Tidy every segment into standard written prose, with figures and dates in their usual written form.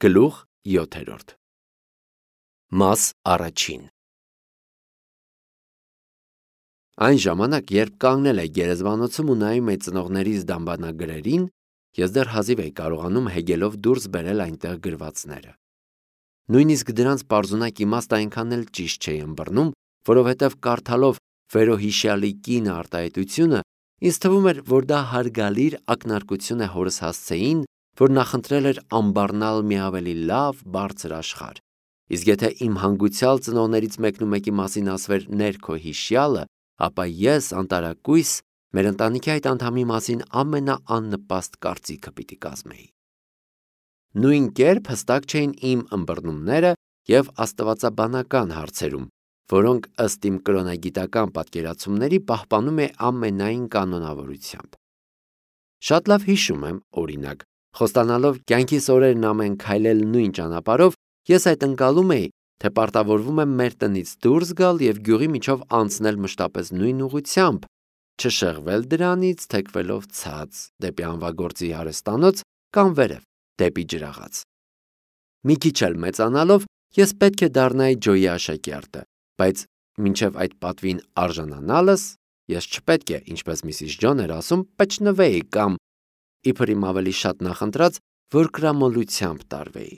Գլուխ 7 Մաս առաջին Այն ժամանակ, երբ կանգնել էի գերեզմանոցում ու նայում էի ծնողներիս դամբանագրերին, ես դեռ հազիվ էի կարողանում հեգելով դուրս բերել այնտեղ գրվածները։ Նույնիսկ դրանց պարզունակ իմաստը այնքան էլ ճիշտ չէի ըմբռնում, որովհետև կարդալով Ֆերոհիշյալի կինը արտահայտությունը, ինձ թվում էր, որ դա հարգալիր ակնարկություն է հորս հասցեին, որ նախընտրել էր ամբառնալ մի ավելի լավ, բարձր աշխարհ։ Իսկ եթե իմ հանգուցյալ ծնողներից մեկնումեկի մասին ասվեր ներքո հիշյալը, ապա ես անտարակույս մեր ընտանիքի այդ անդամի մասին ամենաաննպաստ կարծիքը պիտի կազմեի։ Նույն կերպ հստակ չէին իմ ըմբռնումները և աստվածաբանական հարցերում, որոնք ըստ իմ կրոնագիտական պատկերացումների պահպանում է ամենայն կանոնավորությամբ։ Շատ լավ հիշում եմ, օրինակ, խոստանալով կյանքիս օրերն ամեն քայլել նույն ճանապարհով, ես այդ ընկալում էի, թե պարտավորվում եմ մեր տնից դուրս գալ և գյուղի միջով անցնել մշտապես նույն ուղղությամբ, չշեղվել դրանից, թեքվելով ցած, դեպի անվագործի արհեստանոց կամ վերև, դեպի ջրաղաց։ Մի քիչ էլ մեծանալով, ես պետք է դառնայի Ջոյի աշակերտը, բայց մինչև այդ պատվին արժանանալս, ես չպետք է, ինչպես Միսիս Ջոն էր ասում, պճնվեի կամ, իբր իմ ավելի շատ նախընտրած, որ կրամոլությամբ տարվեի։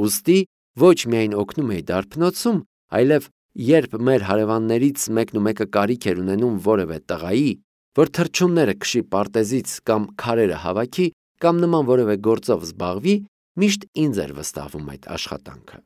Ուստի ոչ միայն օգնում էի դարբնոցում, այլև երբ մեր հարևաններից մեկնումեկը կարիք էր ունենում որևէ տղայի, որ թռչունները քշի պարտեզից կամ քարերը հավաքի կամ նման որևէ գործով զբաղվի, միշտ ինձ էր վստահվում այդ աշխատանքը։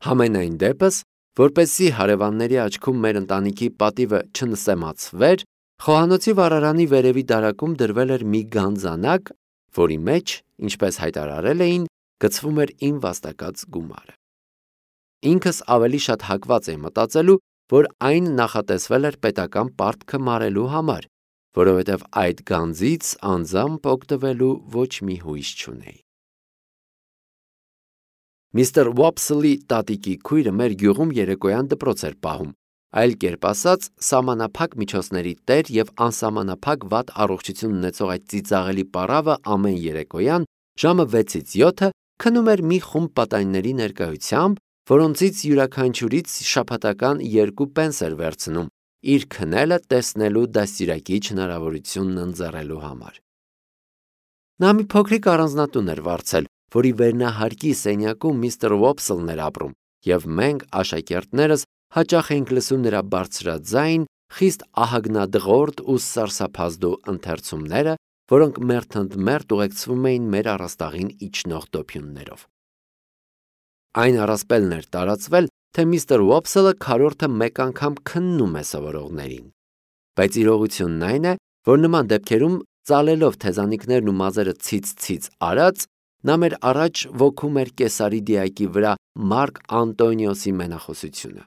Համենայն դեպս, որպեսզի հարևանների աչքում մեր ընտանիքի պատիվը չնսեմացվեր, խոհանոցի վառարանի վերևի դարակում դրվել էր մի գանձանակ, որի մեջ, ինչպես հայտարարել էին, գցվում էր իմ վաստակած գումարը։ Ինքս ավելի շատ հակված էի մտածելու, որ այն նախատեսվել էր պետական պարտքը մարելու համար, որովհետև այդ գանձից անձամբ օգտվելու ոչ մի հույս չունեի։ Միսթր Ուոփսլի տատիկի քույրը մեր գյուղում երեկոյան դպրոց էր պահում, այլ կերպ ասած, սահմանափակ միջոցների տեր և անսահմանափակ վատ առողջություն ունեցող այդ ծիծաղելի պառավը ամեն երեկոյան ժամը 6-ից 7 քնում էր մի խումբ պատանիների ներկայությամբ, որոնցից յուրաքանչյուրից շաբաթական 2 պենս էր վերցնում, իր քնելը տեսնելու դաստիարակիչ հնարավորությունն ընձեռելու համար։ Նա մի փոքրիկ առանձնատուն էր վարձել, որի վերնահարկի սենյակում միսթր Ուոփսլն էր ապրում, և մենք, աշակերտներս, հաճախ էինք լսում նրա բարձրաձայն, խիստ ահագնադղորդ ու սարսափազդու ընթերցումները, որոնք մերթընդմերթ ուղեկցվում էին մեր առաստաղին իջնող դոփյուններով։ Այն առասպելն էր տարածվել, թե միսթր Ուոփսլը քառորդը մեկ անգամ քննում է սովորողներին, բայց իրողությունն այն է, որ նման դեպքերում ծալելով թեզանիկներն ու մազերը ցից արած, նա մեր առաջ ոգում էր Կեսարի դիակի վրա Մարկ Անտոնիոսի մենախոսությունը։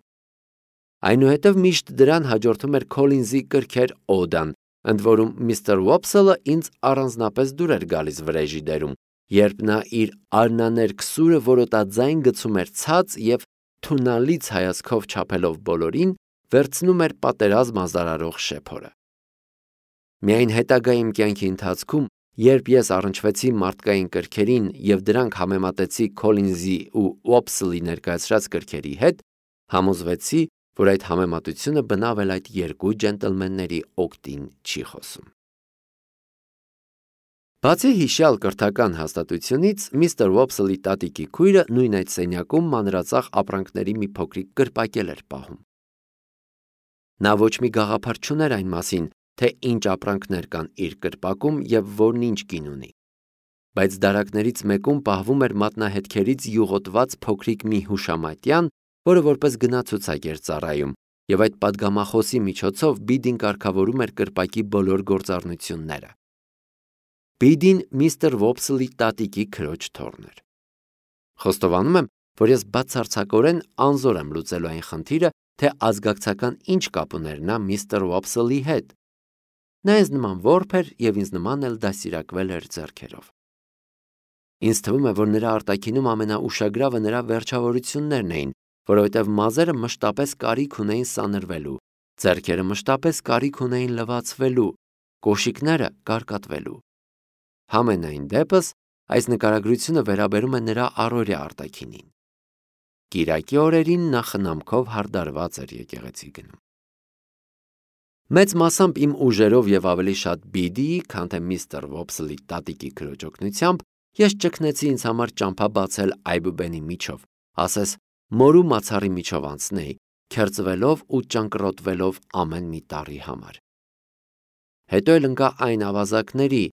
Այնուհետև միշտ դրան հաջորդում էր Քոլինզի կրքեր օդան, ընդ որում միսթր Ուոփսլը ինձ առանձնապես դուր էր գալիս վրեժի դերում, երբ նա իր արնաներկսուրը որոտաձայն գցում էր ցած և թունալից հայացքով չափելով բոլորին, վերցնում էր պատերազմ ազարարող շեփորը։ Միայն հետագա իմ կյանքի ընթացքում, երբ ես առնչվեցի մարդկային կրքերին և դրանք համեմատեցի Քոլինզի ու Ուոփսլի ներկայացրած կրքերի հետ, համոզվեցի, որ այդ համեմատությունը բնավ էլ այդ երկու ջենտլմենների օգտին չի խոսում։ Բացի հիշյալ կրթական հաստատությունից, միսթր Ուոփսլի տատիկի քույրը նույն այդ սենյակում մանրածախ ապրանքների մի փոքրիկ կրպակել էր պահում։ Նա ոչ մի գաղափար չուներ այն մասին, թե ինչ ապրանքներ կան իր կրպակում և որն ինչ կին ունի, բայց դարակներից մեկում պահվում էր մատնահետքերից յուղոտված փոքրիկ մի հուշամատյան, որը որպես գնացուցակ էր ծառայում, և այդ պատգամախոսի միջոցով Բիդին կարգավորում էր կրպակի բոլոր գործառնությունները։ Բիդին միսթր Ուոփսլի տատիկի քրոջ թոռն էր։ Խոստովանում եմ, որ ես բացարձակորեն անզոր եմ լուծելու այն խնդիրը, թե ազգակցական ինչ կապ ուներ նա միսթր Ուոփսլի հետ։ Նա ինձ նման որբ էր և ինձ նման էլ դաստիարակվել էր ձեռքերով։ Ինձ թվում է, որ նրա արտաքինում ամենաուշագրավը նրա վերջավորություններն էին, որովհետև մազերը մշտապես կարիք ունեին սանրվելու, ձեռքերը մշտապես կարիք ունեին լվացվելու, կոշիկները կարկատվելու։ Համենայն դեպս, այս նկարագրությունը վերաբերում է նրա առօրյա արտաքինին։ Կիրակի օրերին նա խնամքով հարդարված էր եկեղեցի գնում։ Մեծ մասամբ իմ ուժերով եւ ավելի շատ Բիդիի, քան թե միստր Վոփսլի տատիկի քրոջ օգնությամբ ես ճգնեցի ինձ համար ճամփա բացել Այբուբենի միջով, ասես մորու մացառի միջով անցնեի, քերծվելով ու ճանկռոտվելով ամեն մի տառի համար։ Հետո էլ ընկա այն ավազակների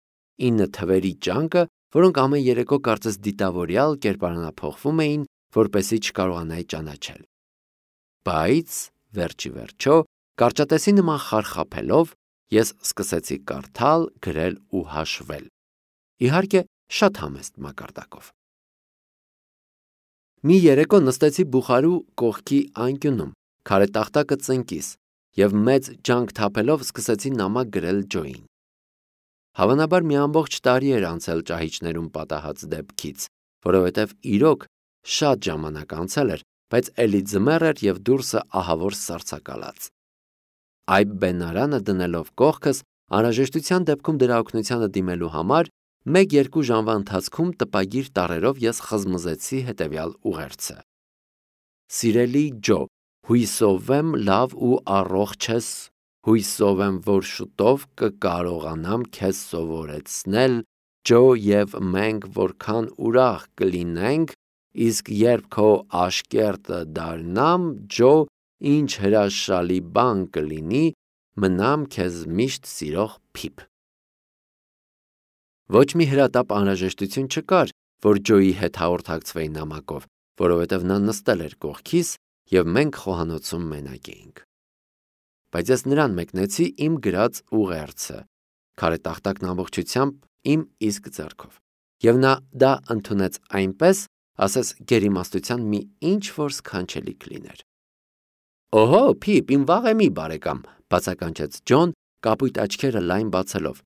9 թվերի ճանկը, որոնք ամեն երեկո կարծես դիտավորյալ կերպարանափոխվում էին, որպեսզի չկարողանայի ճանաչել։ Բայց վերջի վերջո, կարճատեսի նման խարխափելով, ես սկսեցի կարդալ, գրել ու հաշվել։ Իհարկե, շատ համեստ մակարդակով։ Մի երեկո նստեցի բուխարու կողքի անկյունում, քարե տախտակը ծնկիս, եւ մեծ ջանք թափելով սկսեցի նամակ գրել Ջոյին։ Հավանաբար մի ամբողջ տարի էր անցել ճահիճներում պատահած դեպքից, որովհետև իրոք շատ ժամանակ անցել էր, բայց էլի ձմեռ էր եւ դուրսը ահավոր սառցակալած։ Այբ բենարանը դնելով կողքս, անհրաժեշտության դեպքում դրա օգնությանը դիմելու համար 1-2 ժամվա ընթացքում տպագիր տառերով ես խզմզեցի հետևյալ ուղերձը. Սիրելի Ջո, հույսով եմ լավ ու առողջ ես, հույսով եմ, որ շուտով կկարողանամ քեզ սովորեցնել, Ջո, եւ մենք որքան ուրախ կլինենք, իսկ երբ քո աշկերտը դառնամ, Ջո, ինչ հրաշալի բան կլինի, մնամ քեզ միշտ սիրող Փիփ։ Ոչ մի հրատապ անհրաժեշտություն չկար, որ Ջոյի հետ հաղորդակցվեի նամակով, որովհետև նա նստել էր կողքիս եւ մենք խոհանոցում մենակ էինք։ Բայց ես նրան մեկնեցի իմ գրած ուղերձը, քարե տախտակն ամբողջությամբ իմ իսկ ձեռքով, եւ նա դա ընդունեց այնպես, ասես գերիմաստության մի ինչ-որ սքանչելի կլիներ։ Օհո, Փիփ, իմ վաղեմի բարեկամ, բացականչեց Ջոն, կապույտ աչքերը լայն բացելով։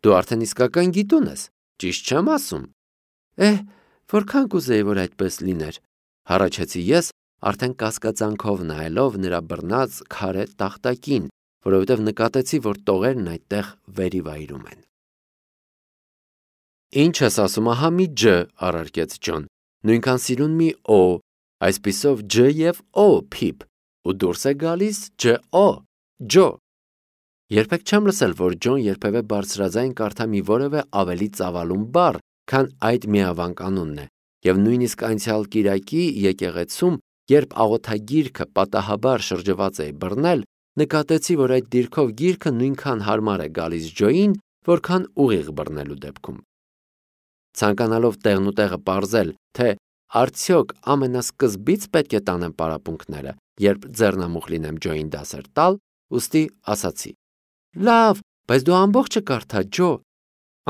Դու արդեն իսկական գիտուն ես, ճիշտ չեմ ասում։ Որքան կուզեի, որ այդպես լիներ, հառաչեցի ես, արդեն կասկածանքով նայելով նրա բռնած քարե տախտակին, որովհետև նկատեցի, որ տողերն այդտեղ վերիվայրում են։ Ինչ ես ասում, ահա մի Ջ, առարկեց Ջոն, նույնքան սիրուն մի Օ, այսպիսով Ջ եւ Օ, Փիփ, ու դուրս է գալիս Ջ-Օ, Ջո։ Երբեք չեմ լսել, որ Ջոն երբևէ բարձրաձայն կարդա մի որևէ ավելի ծավալուն բառ, քան այդ միավանք անունն է, եւ նույնիսկ անցյալ կիրակի եկեղեցում, երբ աղոթագիրքը պատահաբար շրջված էի բռնել, նկատեցի, որ այդ դիրքով գիրքը նույնքան հարմար է գալիս Ջոյին, որքան ուղիղ բռնելու դեպքում։ Ցանկանալով տեղնուտեղը պարզել, թե արդյոք ամենասկզբից պետք է տանեմ պարապմունքները, երբ ձեռնամուխ լինեմ Ջոյին դասեր տալ, ուստի ասացի. Լավ, բայց դու ամբողջը կարդա, Ջո։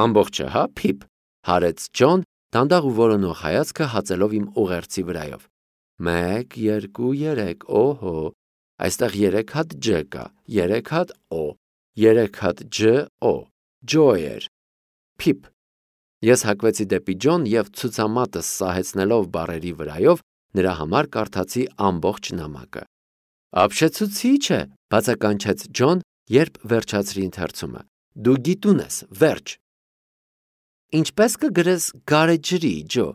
Ամբողջը, հա, Փիփ, հարեց Ջոն, դանդաղ ու որոնող հայացքը հացելով իմ ուղերձի վրայով։ 1, 2, 3, օհո, այստեղ 3 հատ Ջ կա, 3 հատ Օ, 3 հատ Ջ, Օ, Ջոյեր, Փիփ։ Ես հակվեցի դեպի Ջոն եւ ցուցամատս սահեցնելով բառերի վրայով նրա համար կարդացի ամբողջ նամակը։ Ապշեցուցիչ է, բացականչեց Ջոն, երբ վերջացրի ընթերցումը։ Դու գիտուն ես, վերջ։ Ինչպես կգրես գարեջրի, Ջո,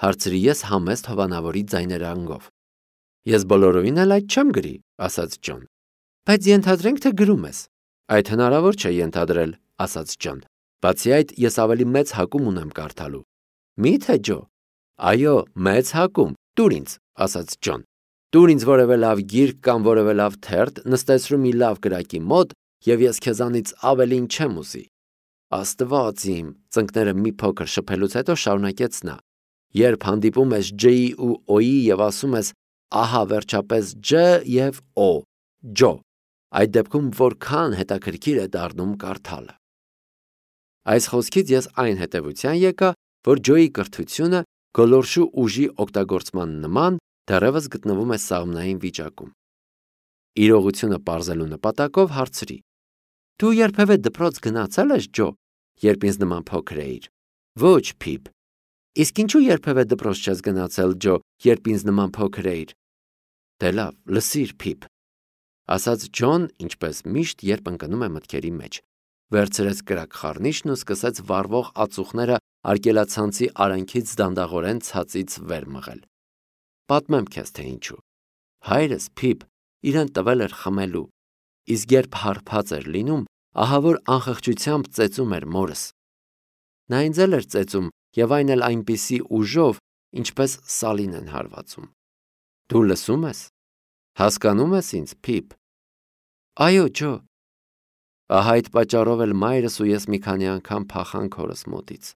հարցրի ես համեստ հովանավորի ձայներանգով։ Ես բոլորովին էլ այդ չեմ գրի, ասաց Ջոն։ Բայց ենթադրենք, թե գրում ես։ Այդ հնարավոր չէ ենթադրել, ասաց Ջոն։ Բացի այդ, ես ավելի մեծ հակում ունեմ կարդալու։ Մի՞թե, Ջո։ Այո, մեծ հակում, տուր ինձ, ասաց Ջոն։ Տուր ինձ որևէ լավ գիրք կամ որևէ լավ թերթ, նստեցրու մի լավ կրակի մոտ, եւ ես քեզանից ավելին չեմ ուզի։ Աստված իմ, ծնկները մի փոքր շփելուց հետո շարունակեց նա։ Երբ հանդիպում ես Ջ-ի ու Օ-ի եւ ասում ես, ահա վերջապես Ջ եւ Օ, Ջո, այդ դեպքում որքան հետաքրքիր է դառնում կարդալը։ Այս խոսքից ես այն հետևության եկա, որ Ջոյի կրթությունը գոլորշու ուժի օգտագործման նման դեռևս գտնվում է սաղմնային վիճակում։ Իրողությունը պարզելու նպատակով հարցրի. Դու երբևէ դպրոց գնացել ես, Ջո, երբ ինձ նման փոքր էիր։ Ոչ, Փիփ։ Իսկ ինչու երբևէ դպրոց չես գնացել, Ջո, երբ ինձ նման փոքր էիր։ Դե լավ, լսիր, Փիփ, ասաց Ջոն, ինչպես միշտ, երբ ընկնում է մտքերի մեջ։ վերցրեց կրակ խառնիչն ու սկսեց վառվող ածուխները արգելացանցի արանքից դանդաղորեն ցածից վեր մղել։ Պատմեմ քեզ, թե ինչու։ Հայրս Փիփ իրեն տվել էր խմելու, իսկ երբ հարբած էր լինում, ահավոր անխղճությամբ ծեծում էր մորս։ Նա ինձ էլ էր ծեծում եւ այն էլ այնպիսի ուժով, ինչպես սալին են հարվածում։ Դու լսում ես։ Հասկանում ես ինձ, Փիփ։ Այո, Ջո։ Ահա այդ պատճառով էլ մայրս ու ես մի քանի անգամ փախանք հորս մոտից։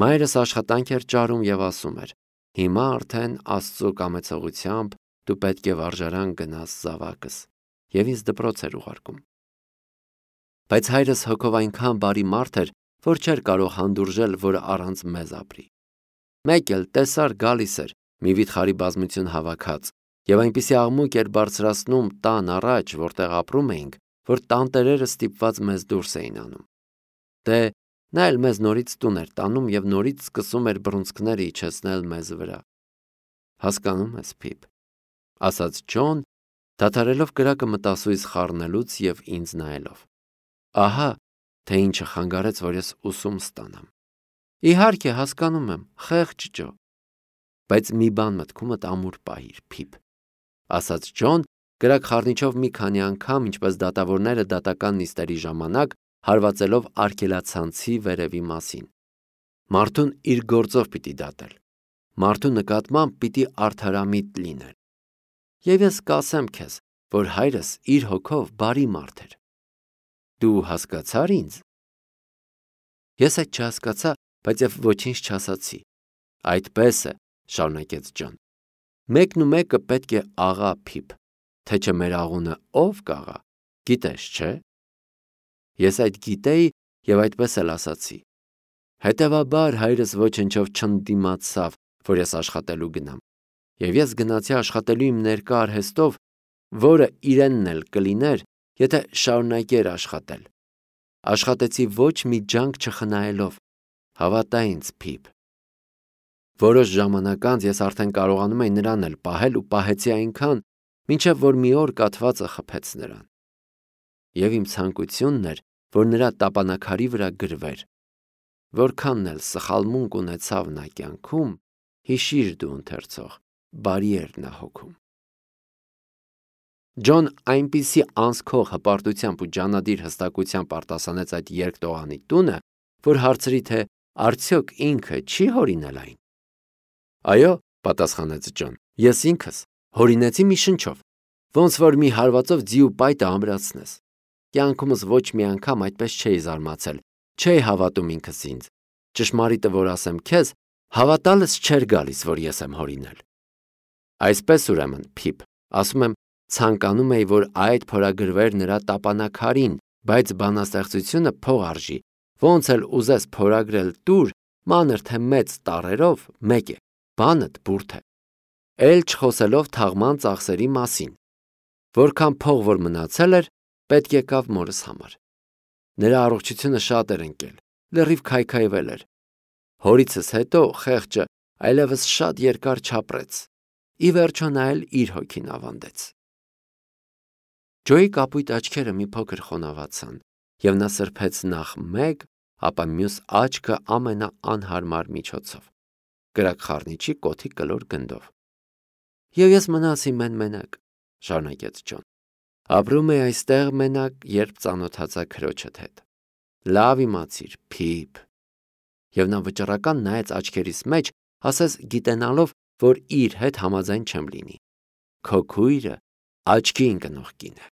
Մայրս աշխատանք էր ճարում եւ ասում էր. հիմա արդեն Աստծո կամեցողությամբ դու պետք է վարժարան գնաս զավակս, եւ ինձ դպրոց էր ուղարկում։ Բայց հայրս հոգով այնքան բարի մարդ էր, որ չէր կարող հանդուրժել, որ առանց մեզ ապրի։ Մեկ էլ տեսար գալիս էր մի վիթխարի բազմություն հավաքած եւ այնպիսի աղմուկ էր բարձրացնում տան առաջ, որտեղ ապրում էինք, որ տանտերերը ստիպված մեզ դուրս էին անում։ Դե նա էլ մեզ նորից տուն էր տանում եւ նորից սկսում էր բռունցքները իջեցնել մեզ վրա։ Հասկանում ես, Փիփ, ասաց Ջոն, դադարելով կրակը մտասույց խառնելուց եւ ինձ նայելով։ Ահա թե ինչը խանգարեց, որ ես ուսում ստանամ։ Իհարկե, հասկանում եմ, խեղճ Ջո։ Բայց մի բան մտքումդ ամուր պահիր, Փիփ, ասաց Ջոն, կրակ խառնիչով մի քանի անգամ, ինչպես դատավորները դատական նիստերի ժամանակ, հարվածելով արգելացանցի վերևի մասին։ Մարդուն իր գործով պիտի դատել։ Մարդու նկատմամբ պիտի արդարամիտ լինել։ Եվ ես կասեմ քեզ, որ հայրս իր հոգով բարի մարդ էր։ Դու հասկացար ինձ։ Ես այդ չհասկացա, բայց եւ ոչինչ չասացի։ Այդպես է, շարունակեց Ջոն։ Մեկն ու մեկը պետք է աղա, Փիփ, թե չէ մեր աղունը ով կաղա, գիտես, չէ։ Ես այդ գիտեի եւ այդպես էլ ասացի։ Հետևաբար հայրս ոչնչով չընդդիմացավ, որ ես աշխատելու գնամ։ Եվ ես գնացի աշխատելու իմ ներկա արհեստով, որը իրենն էլ կլիներ, եթե շարունակեր աշխատել։ Աշխատեցի ոչ մի ջանք չխնայելով։ Հավատա ինձ, Փիփ։ Որոշ ժամանակ անց ես արդեն կարողանում էի նրան էլ պահել ու պահեցի այնքան, մինչև որ մի օր կաթվածը խփեց նրան։ Եվ իմ ցանկությունն էր, որ նրա տապանակարի վրա գրվեր. որքանն էլ սխալմունք ունեցավ նա կյանքում, հիշիր դու ընթերցող, բարի էր նա հոգում։ Ջոն այնպիսի անսքող հպարտությամբ ու ջանադիր հստակությամբ արտասանեց այդ երկտողանի տունը, որ հարցրի, թե արդյոք ինքը չի հորինել այն։ Այո, պատասխանեց Ջոն, ես ինքս հորինեցի մի շնչով, ոնց որ մի հարվածով ձիու պայտը ամրացնես։ Կյանքումս ոչ մի անգամ այդպես չէի զարմացել, չէի հավատում ինքս ինձ։ Ճշմարիտը որ ասեմ քեզ, հավատալս չէր գալիս, որ ես եմ հորինել։ Այսպես ուրեմն, Փիփ, ասում եմ, ցանկանում էի, որ այդ փորագրվեր նրա տապանակարին, բայց բանաստեղծությունը փող արժի, ոնց էլ ուզես փորագրել տուր, մանր թե մեծ տառերով, մեկ է, բանդ բուրդ է։ Էլ չխոսելով թաղման ծախսերի մասին։ Որքան փող որ մնացել էր, պետք եկավ մորս համար։ Նրա առողջությունը շատ էր ընկել, լրիվ քայքայվել էր։ Հորիցս հետո խեղճը այլևս շատ երկար չապրեց։ Ի վերջո նա էլ իր հոգին ավանդեց։ Ջոյի կապույտ աչքերը մի փոքր խոնավացան, եւ նա սրբեց նախ մեկ, ապա մյուս աչքը ամենաանհարմար միջոցով, կրակ խառնիչի կոթի կլոր գնդով։ Եվ ես մնացի մենակ, շարունակեց Ջոն։ Ապրում էի այստեղ մենակ, երբ ծանոթացա քրոջդ հետ։ Լավ իմացիր, Փիփ։ Եվ նա վճռական նայեց աչքերիս մեջ, ասես գիտենալով, որ իր հետ համաձայն չեմ լինի։ Քո քույրը աչքի ընկնող կին է։